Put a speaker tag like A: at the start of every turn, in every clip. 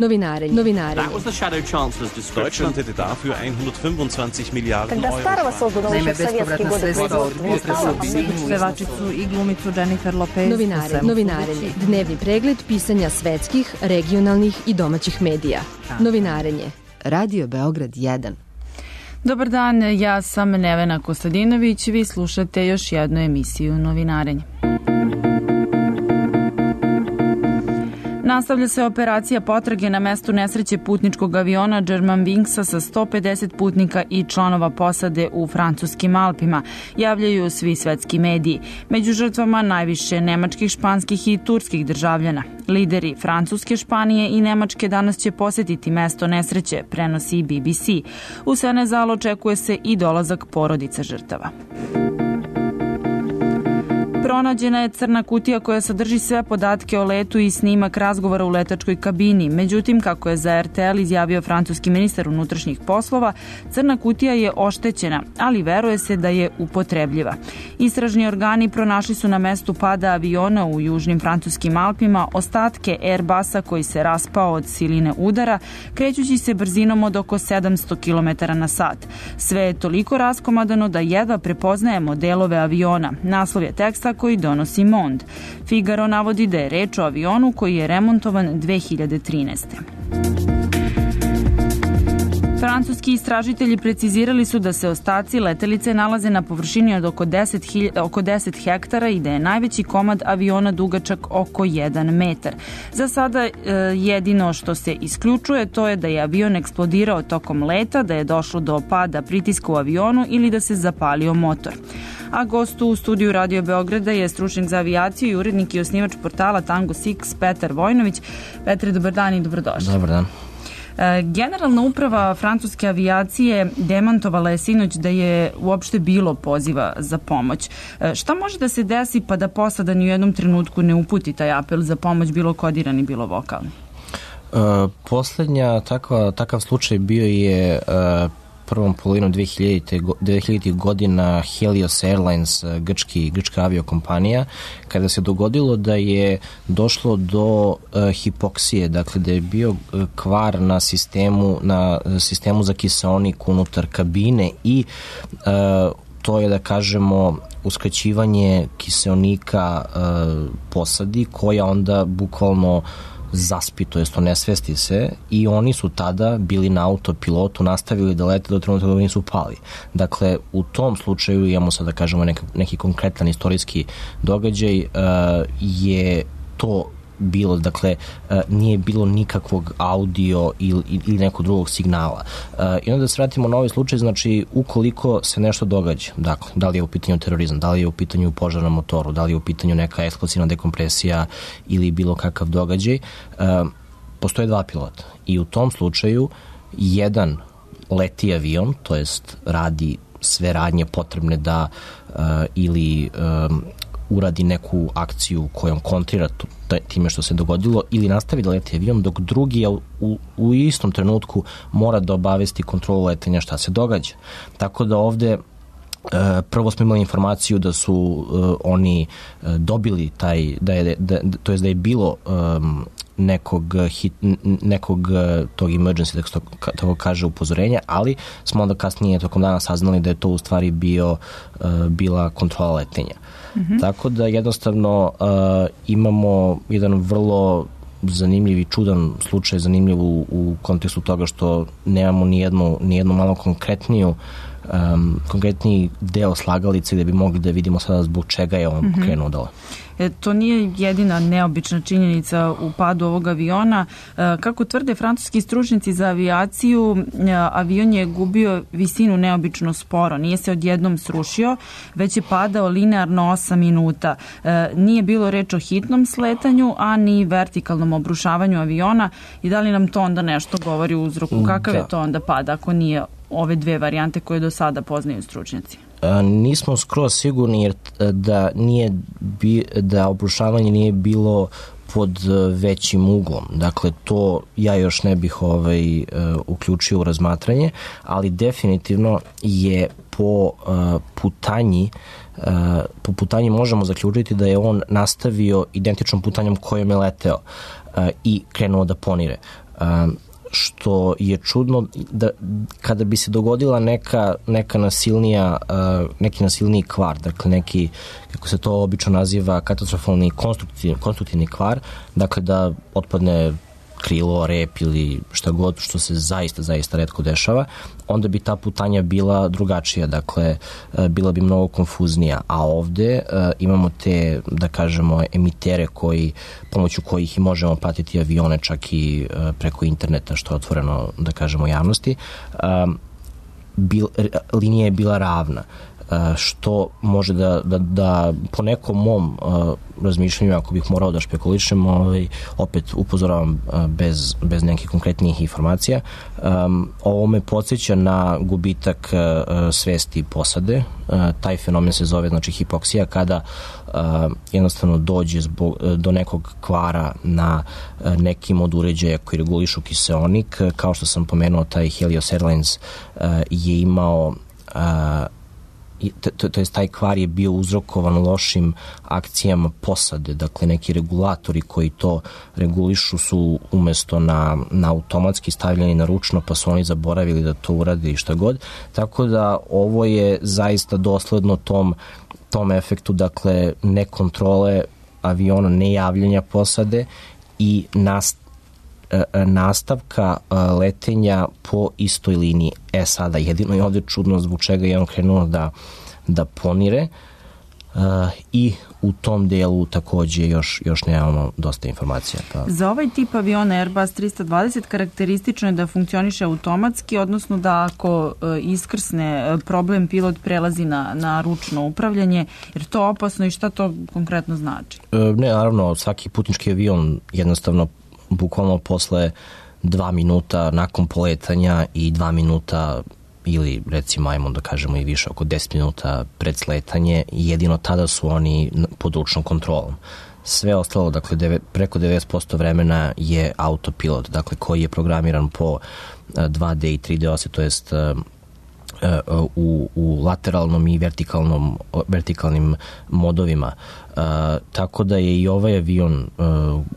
A: That was the Shadow Chancellor's description.
B: Deutschland hätte dafür 125 Milijarden Euro.
C: Naime, bespovratna sredstva od pevačicu i glumicu Jennifer Lopez.
D: Novinarenje. Dnevni pregled pisanja svetskih, regionalnih i domaćih medija. Novinarenje.
E: Radio Beograd 1.
C: Dobar dan, ja sam Nevena Kostadinović, vi slušate još jednu emisiju Novinarenje. Nastavlja se operacija potrage na mestu nesreće putničkog aviona Germanwingsa sa 150 putnika i članova posade u francuskim Alpima, javljaju svi svetski mediji. Među žrtvama najviše nemačkih, španskih i turskih državljana. Lideri Francuske, Španije i Nemačke danas će posetiti mesto nesreće, prenosi BBC. U Senezal očekuje se i dolazak porodica žrtava. Pronađena je crna kutija koja sadrži sve podatke o letu i snimak razgovora u letačkoj kabini. Međutim, kako je za RTL izjavio francuski ministar unutrašnjih poslova, crna kutija je oštećena, ali veruje se da je upotrebljiva. Istražni organi pronašli su na mestu pada aviona u južnim francuskim Alpima ostatke Airbusa koji se raspao od siline udara, krećući se brzinom od oko 700 km na sat. Sve je toliko raskomadano da jedva prepoznajemo delove aviona. Naslov je teksta koji donosi Monde. Figaro navodi da je reč o avionu koji je remontovan 2013. Francuski istražitelji precizirali su da se ostaci letelice nalaze na površini od oko 10 hektara i da je najveći komad aviona dugačak oko 1 metar. Za sada jedino što se isključuje to je da je avion eksplodirao tokom leta, da je došlo do pada pritiska u avionu ili da se zapalio motor. A gost u studiju Radio Beograda je stručnjak za avijaciju i urednik i osnivač portala Tango Six, Petar Vojnović. Petre, dobar dan i dobrodošli.
F: Dobar dan.
C: Generalna uprava francuske avijacije demantovala je sinoć da je uopšte bilo poziva za pomoć. Šta može da se desi pa da posada ni u jednom trenutku ne uputi taj apel za pomoć, bilo kodirani, bilo vokalni?
F: Poslednja takav slučaj bio je prvom polovinom 2000. godina Helios Airlines, grčka aviokompanija, kada se dogodilo da je došlo do hipoksije, dakle da je bio kvar na sistemu za kiseonik unutar kabine i to je, da kažemo, uskraćivanje kiseonika posadi koja onda bukvalno zaspi, to jest onesvesti se, i oni su tada bili na autopilotu, nastavili da lete do trenutka da nisu pali. Dakle, u tom slučaju imamo sad, da kažemo, neki konkretan istorijski događaj, je to bilo, dakle, nije bilo nikakvog audio ili nekog drugog signala. I onda da se vratimo na ovaj slučaj, znači, ukoliko se nešto događa, dakle, da li je u pitanju terorizam, da li je u pitanju požar na motoru, da li je u pitanju neka eksplozivna dekompresija ili bilo kakav događaj, postoje dva pilota. I u tom slučaju jedan leti avion, to jest radi sve radnje potrebne da ili uradi neku akciju kojom kontrira time što se dogodilo ili nastavi da leti avion, dok drugi u istom trenutku mora da obavesti kontrolu letenja šta se događa. Tako da ovde prvo smo imali informaciju da su oni dobili to jest da je bilo nekog tog emergency, tako kaže, upozorenja, ali smo onda kasnije tokom dana saznali da je to u stvari bila kontrola letenja. Tako da jednostavno imamo jedan vrlo zanimljiv i čudan slučaj, zanimljiv u kontekstu toga što nemamo nijednu malo konkretniji deo slagalice gde bi mogli da vidimo sada zbog čega je on krenuo dole.
C: To nije jedina neobična činjenica u padu ovog aviona. Kako tvrde francuski stručnjaci za avijaciju, avion je gubio visinu neobično sporo. Nije se odjednom srušio, već je padao linearno 8 minuta. Nije bilo reč o hitnom sletanju, a ni vertikalnom obrušavanju aviona. I da li nam to onda nešto govori u uzroku? Kakav je to onda pad ako nije ove dve varijante koje do sada poznaju stručnjaci?
F: Nismo skroz sigurni jer da obrušavanje nije bilo pod većim uglom. Dakle, to ja još ne bih uključio u razmatranje, ali definitivno je po putanji možemo zaključiti da je on nastavio identičnom putanjom kojom je leteo i krenuo da ponire. što je čudno da kada bi se dogodila neki nasilniji kvar, dakle neki, kako se to obično naziva, katastrofalni konstruktivni kvar, dakle da otpadne krilo, rep ili šta god, što se zaista retko dešava, onda bi ta putanja bila drugačija, dakle bila bi mnogo konfuznija, a ovde imamo te, da kažemo, emitere pomoću kojih i možemo pratiti avione čak i preko interneta, što je otvoreno, da kažemo, javnosti. Linija je bila ravna, što može da po nekom mom razmišljanju, ako bih morao da špekulišem, opet upozoravam bez nekih konkretnijih informacija, ovo me podsjeća na gubitak svesti posade. Taj fenomen se zove, znači, hipoksija, kada jednostavno dođe do nekog kvara na nekim od uređaja koji regulišu kiseonik. Kao što sam pomenuo, taj Helios Airlines je imao to jest taj kvar je bio uzrokovan lošim akcijama posade, dakle neki regulatori koji to regulišu su umesto na automatski stavljeni na ručno, pa su oni zaboravili da to urade i šta god, tako da ovo je zaista dosledno tom efektu, dakle ne kontrole aviona, ne javljanja posade i nastavka letenja po istoj liniji. Sada, jedino je ovde čudno zbog čega je on krenuo da ponire i u tom delu takođe još nemamo dosta informacija.
C: Za ovaj tip aviona Airbus 320 karakteristično je da funkcioniše automatski, odnosno da ako iskrsne problem, pilot prelazi na ručno upravljanje, jer to opasno i šta to konkretno znači?
F: Ne, naravno, svaki putnički avion jednostavno bukvalno posle 2 minuta nakon poletanja i 2 minuta ili recimo, ajmo da kažemo i više, oko 10 minuta pred sletanje, jedino tada su oni pod ručnom kontrolom. Sve ostalo, dakle preko 90% vremena je autopilot, dakle koji je programiran po 2D i 3D osi, to jest u lateralnom i vertikalnim modovima. Tako da je i ovaj avion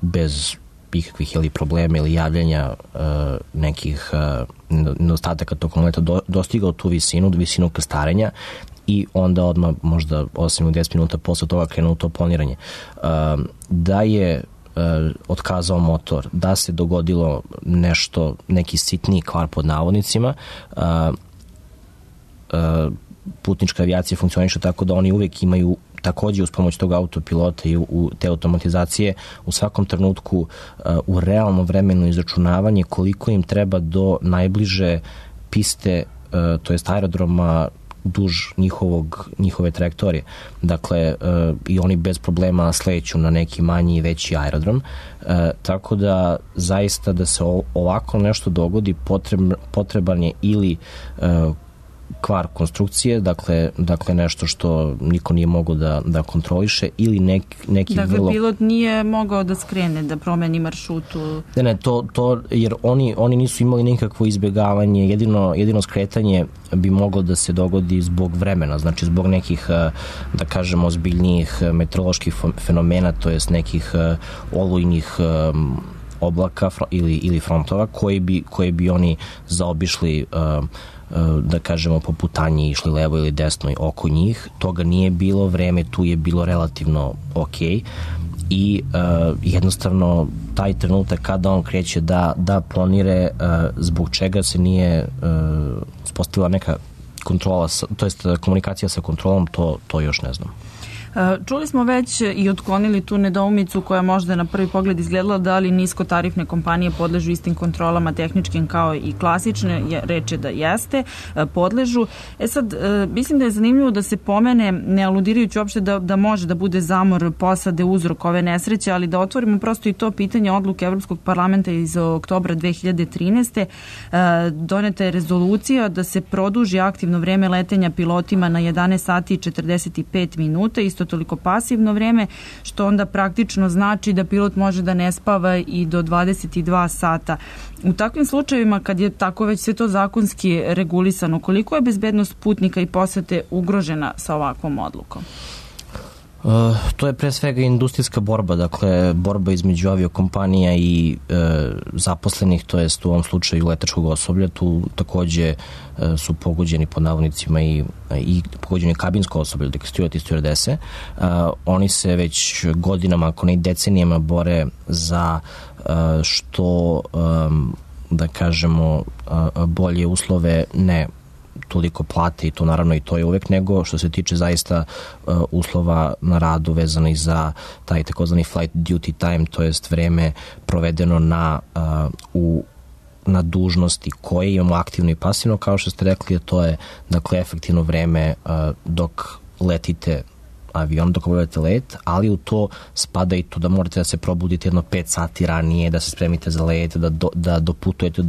F: bez ikakvih ili problema ili javljanja nekih nedostataka tokom leta dostigao tu visinu krstarenja i onda odmah možda 8 ili 10 minuta posle toga krenuo to planiranje. Da je otkazao motor, da se dogodilo neki sitniji kvar pod navodnicima, putnička avijacija funkcioniše tako da oni uvek imaju takođe uz pomoć tog autopilota i u te automatizacije u svakom trenutku u realnom vremenu izračunavanje koliko im treba do najbliže piste, to jest aerodroma duž njihove trajektorije. Dakle, i oni bez problema sleću na neki manji i veći aerodrom. Tako da zaista da se ovako nešto dogodi potreban je ili kvar konstrukcije, dakle nešto što niko nije mogao da kontroliše ili neki
C: dakle, pilot nije mogao da skrene, da promeni maršrutu.
F: Ne, to jer oni nisu imali nikakvo izbjegavanje, jedino skretanje bi moglo da se dogodi zbog vremena, znači zbog nekih, da kažemo, ozbiljnijih meteoroloških fenomena, to jest nekih olujnih oblaka ili frontova koje bi oni zaobišli, da kažemo, po putanji išli levo ili desno oko njih. Toga nije bilo, vreme tu je bilo relativno okej i jednostavno taj trenutak kada on kreće da planire, zbog čega se nije uspostavila neka kontrola, to jest komunikacija sa kontrolom, to još ne znam.
C: Čuli smo već i otklonili tu nedoumicu koja možda na prvi pogled izgledala da li niskotarifne kompanije podležu istim kontrolama tehničkim kao i klasične, reč je da jeste, podležu. Sad, mislim da je zanimljivo da se pomene, ne aludirajući uopšte da može da bude zamor posade uzrok ove nesreće, ali da otvorimo prosto i to pitanje odluke Evropskog parlamenta iz oktobra 2013. Doneta je rezolucija da se produži aktivno vreme letenja pilotima na 11 sati i 45 minuta, isto toliko pasivno vreme, što onda praktično znači da pilot može da ne spava i do 22 sata. U takvim slučajevima, kad je tako već sve to zakonski regulisano, koliko je bezbednost putnika i posete ugrožena sa ovakvom odlukom?
F: To je pre svega industrijska borba, dakle borba između aviokompanija i zaposlenih, to jest u ovom slučaju letačkog osoblja. Tu takođe su pogođeni pod navodnicima i pogođeni kabinsko osoblje, dakle steward i stewardese. Oni se već godinama, ako ne i decenijama, bore za što da kažemo bolje uslove, ne toliko plate i to naravno i to je uvek, nego što se tiče zaista uslova na radu vezani za taj takozvani flight duty time, to jest vreme provedeno na dužnosti koje imamo aktivno i pasivno, kao što ste rekli, to je dakle efektivno vreme dok letite avion, dok obavljate let, ali u to spada i to da morate da se probudite jedno 5 sati ranije, da se spremite za let, da doputujete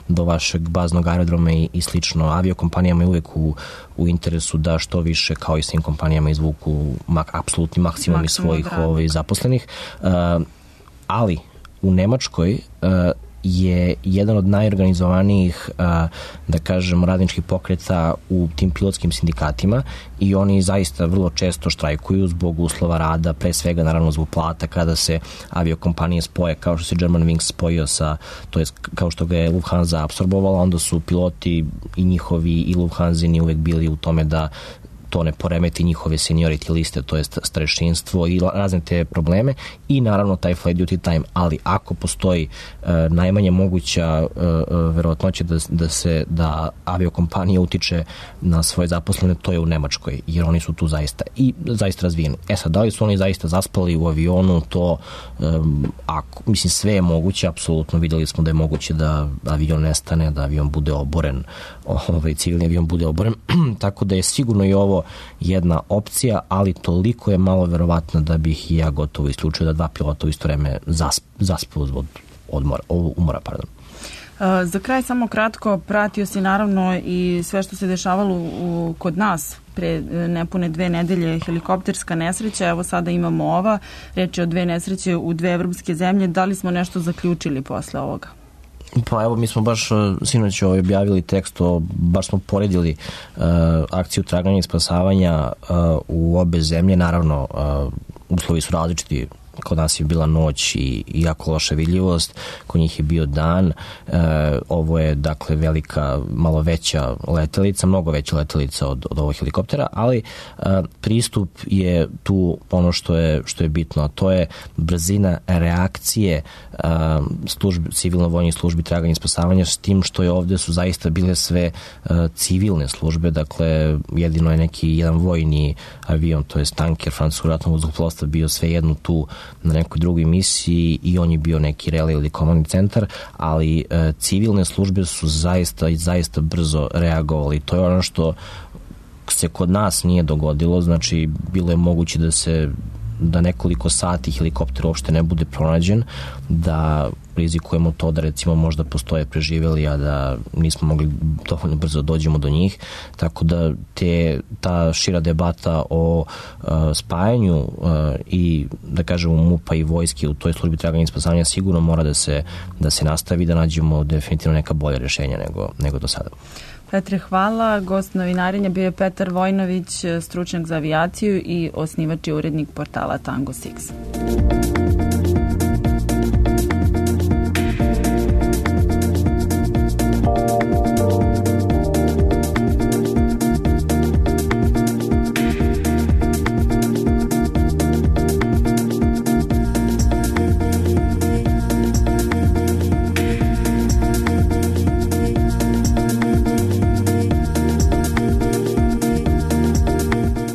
F: do vašeg baznog aerodroma i slično. Aviokompanijama je uvek u interesu da što više, kao i svim kompanijama, izvuku apsolutni maksimum iz svojih zaposlenih. Ali u Nemačkoj je jedan od najorganizovanijih, da kažem, radničkih pokreta u tim pilotskim sindikatima i oni zaista vrlo često štrajkuju zbog uslova rada, pre svega naravno zbog plata kada se aviokompanije spoje, kao što se Germanwings spojio sa, to je kao što ga je Lufthansa apsorbovala, onda su piloti i njihovi i Lufthansini uvek bili u tome da to ne poremeti njihove seniority liste, to je starešinstvo i razne te probleme i naravno taj flight duty time, ali ako postoji najmanje moguća verovatnoća da aviokompanija utiče na svoje zaposlene, to je u Nemačkoj, jer oni su tu zaista razvijeni. Sad, da li su oni zaista zaspali u avionu, to mislim sve je moguće, apsolutno videli smo da je moguće da avion nestane, da avion bude oboren, civilni avion bude oboren, tako da je sigurno i ovo jedna opcija, ali toliko je malo verovatno da bih i ja gotovo isključio da 2 pilota u isto vreme zaspu zbog umora.
C: Za kraj samo kratko, pratio si naravno i sve što se dešavalo kod nas pre nepune 2 nedelje, helikopterska nesreća, evo sada imamo ova, reč je o 2 nesreće u 2 evropske zemlje, da li smo nešto zaključili posle ovoga?
F: Pa evo, mi smo baš sinoć objavili tekst, baš smo poredili akciju traganja i spasavanja u obe zemlje, naravno uslovi su različiti, kod nas je bila noć i jako loša vidljivost, kod njih je bio dan, ovo je dakle velika, malo veća letelica, mnogo veća letelica od ovog helikoptera, ali pristup je tu ono što je bitno, a to je brzina reakcije civilno-vojnih službi traganja i spasavanja, s tim što je ovde su zaista bile sve civilne službe, dakle jedino je jedan vojni avion, to je tanker francuskog ratnog vazduhoplovstva bio svejedno tu na nekoj drugoj misiji i on je bio neki relay ili komandni centar, ali civilne službe su zaista brzo reagovali. To je ono što se kod nas nije dogodilo, znači bilo je moguće da nekoliko sati helikopter uopšte ne bude pronađen, da rizikujemo to da recimo možda postoje preživeli, a da nismo mogli dovoljno brzo dođemo do njih, tako da ta šira debata o spajanju i da kažemo MUP-a i vojske u toj službi traganja i spasavanja sigurno mora da se nastavi, da nađemo definitivno neka bolja rješenja nego do sada.
C: Petre, hvala. Gost novinarenja bio je Petar Vojnović, stručnjak za avijaciju i osnivač i urednik portala Tango 6.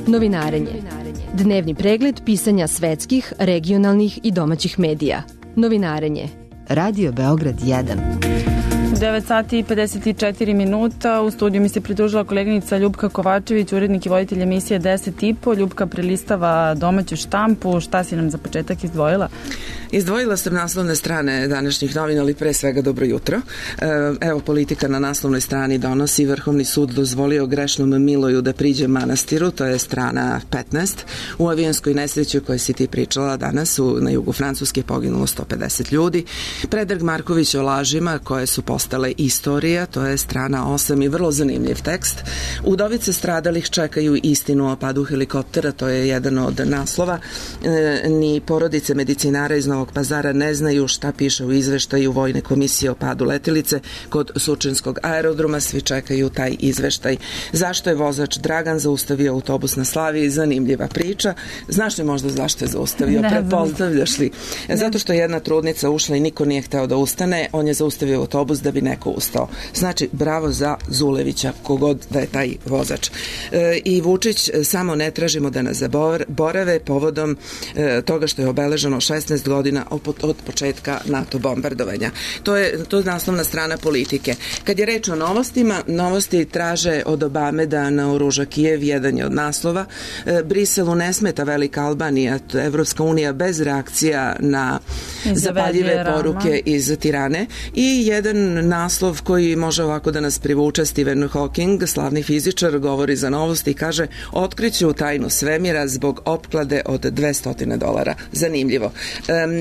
D: Novinarenje. Dnevni pregled pisanja svetskih, regionalnih i domaćih medija. Novinarenje.
E: Radio Beograd 1.
C: 9 sati i 54 minuta. U studiju mi se pridružila koleginica Ljubka Kovačević, urednik i voditelj emisije 10 i po. Ljubka prelistava domaću štampu. Šta si nam za početak izdvojila?
G: Izdvojila sam naslovne strane današnjih novina, ali pre svega dobro jutro. Evo, Politika na naslovnoj strani donosi: Vrhovni sud dozvolio grešnom Miloju da priđe manastiru, to je strana 15. U avionskoj nesreći o kojoj si ti pričala danas na jugu Francuske poginulo 150 ljudi. Predrag Marković o lažima koje su postale istorija, to je strana 8 i vrlo zanimljiv tekst. Udovice stradalih čekaju istinu o padu helikoptera, to je jedan od naslova. Ni porodice medicinara iz Novog Pazara ne znaju šta piše u izveštaju Vojne komisije o padu letelice kod Surčinskog aerodroma, svi čekaju taj izveštaj. Zašto je vozač Dragan zaustavio autobus na Slaviji? Zanimljiva priča. Znaš li možda zašto je zaustavio? Pretpostavljaš li? Zato što je jedna trudnica ušla i niko nije hteo da ustane, on je zaustavio autobus da bi neko ustao. Znači, bravo za Zulevića, kogod da je taj vozač. I Vučić: samo ne tražimo da nas zaborave povodom toga što je obeleženo 16 godina od početka NATO bombardovanja. To je naslovna strana Politike. Kad je reč o novostima, novosti traže od Obame da naoruža Kijev, jedan je od naslova. Briselu ne smeta velika Albanija, Evropska unija bez reakcija na zapaljive poruke iz Tirane. I jedan naslov koji može ovako da nas privuče: Stephen Hawking, slavni fizičar, govori za novosti i kaže: otkriću tajnu svemira zbog opklade od $200. Zanimljivo.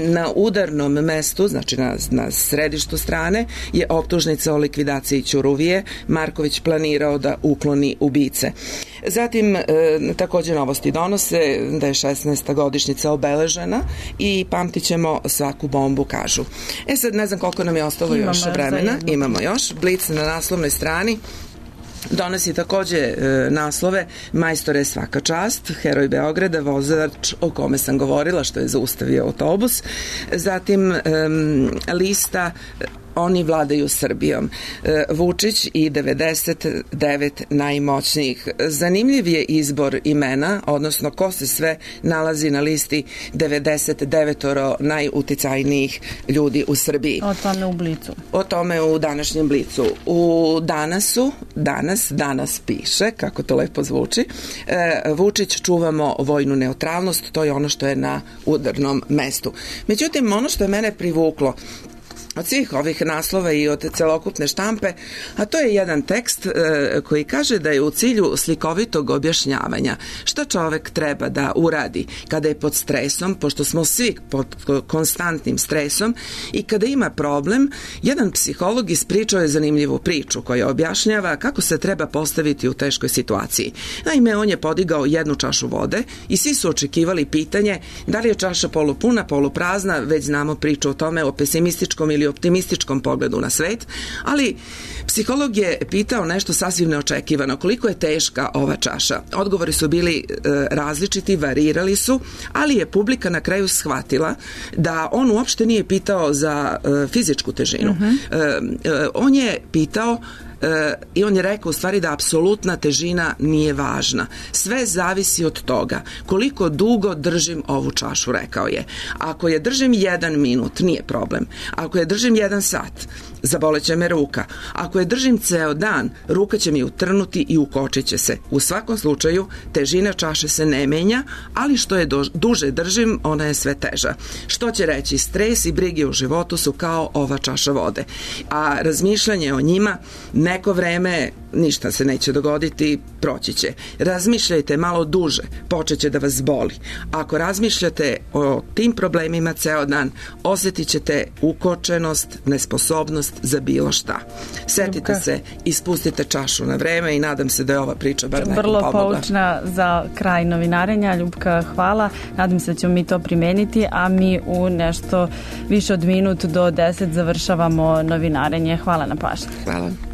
G: Na udarnom mestu, znači na središtu strane, je optužnica o likvidaciji Ćuruvije. Marković planirao da ukloni ubice. Zatim, također novosti donose da je 16. godišnjica obeležena i pamtit ćemo svaku bombu, kažu. Sad ne znam koliko nam je ostalo još vremena. Imamo još. Blic na naslovnoj strani donosi takođe naslove: majstore svaka čast, heroj Beograda, vozač o kome sam govorila što je zaustavio autobus. Zatim lista: oni vladaju Srbijom. Vučić i 99 najmoćnijih. Zanimljiv je izbor imena, odnosno ko se sve nalazi na listi 99 najuticajnijih ljudi u Srbiji.
C: O tome u Blicu.
G: O tome u današnjem Blicu. U danas piše, kako to lepo zvuči: Vučić: čuvamo vojnu neutralnost, to je ono što je na udarnom mestu. Međutim, ono što je mene privuklo od svih ovih naslova i od celokupne štampe, a to je jedan tekst koji kaže da je u cilju slikovitog objašnjavanja šta čovek treba da uradi kada je pod stresom, pošto smo svi pod konstantnim stresom, i kada ima problem. Jedan psiholog ispričao je zanimljivu priču koja objašnjava kako se treba postaviti u teškoj situaciji. Naime, on je podigao jednu čašu vode i svi su očekivali pitanje da li je čaša polupuna, poluprazna. Već znamo priču o tome, o pesimističkom ili optimističkom pogledu na svet, ali psiholog je pitao nešto sasvim neočekivano: koliko je teška ova čaša? Odgovori su bili različiti, varirali su, ali je publika na kraju shvatila da on uopšte nije pitao za fizičku težinu. On je pitao i on je rekao u stvari da apsolutna težina nije važna. Sve zavisi od toga koliko dugo držim ovu čašu, rekao je. Ako je držim 1 minut, nije problem. Ako je držim 1 sat, zaboleće me ruka. Ako je držim ceo dan, ruka će mi utrnuti i ukočit će se. U svakom slučaju, težina čaše se ne menja, ali što je duže držim, ona je sve teža. Što će reći, stres i brige u životu su kao ova čaša vode. A razmišljanje o njima, neko vreme ništa se neće dogoditi, proći će. Razmišljajte malo duže, počeće da vas boli. Ako razmišljate o tim problemima ceo dan, osjetit ćete ukočenost, nesposobnost za bilo šta. Setite se i spustite čašu na vreme i nadam se da je ova priča bar nekom pomogla.
C: Vrlo poučna za kraj novinarenja. Ljupka, hvala. Nadam se da ćemo mi to primeniti, a mi u nešto više od minut do 10 završavamo novinarenje. Hvala na pažnji.
G: Hvala.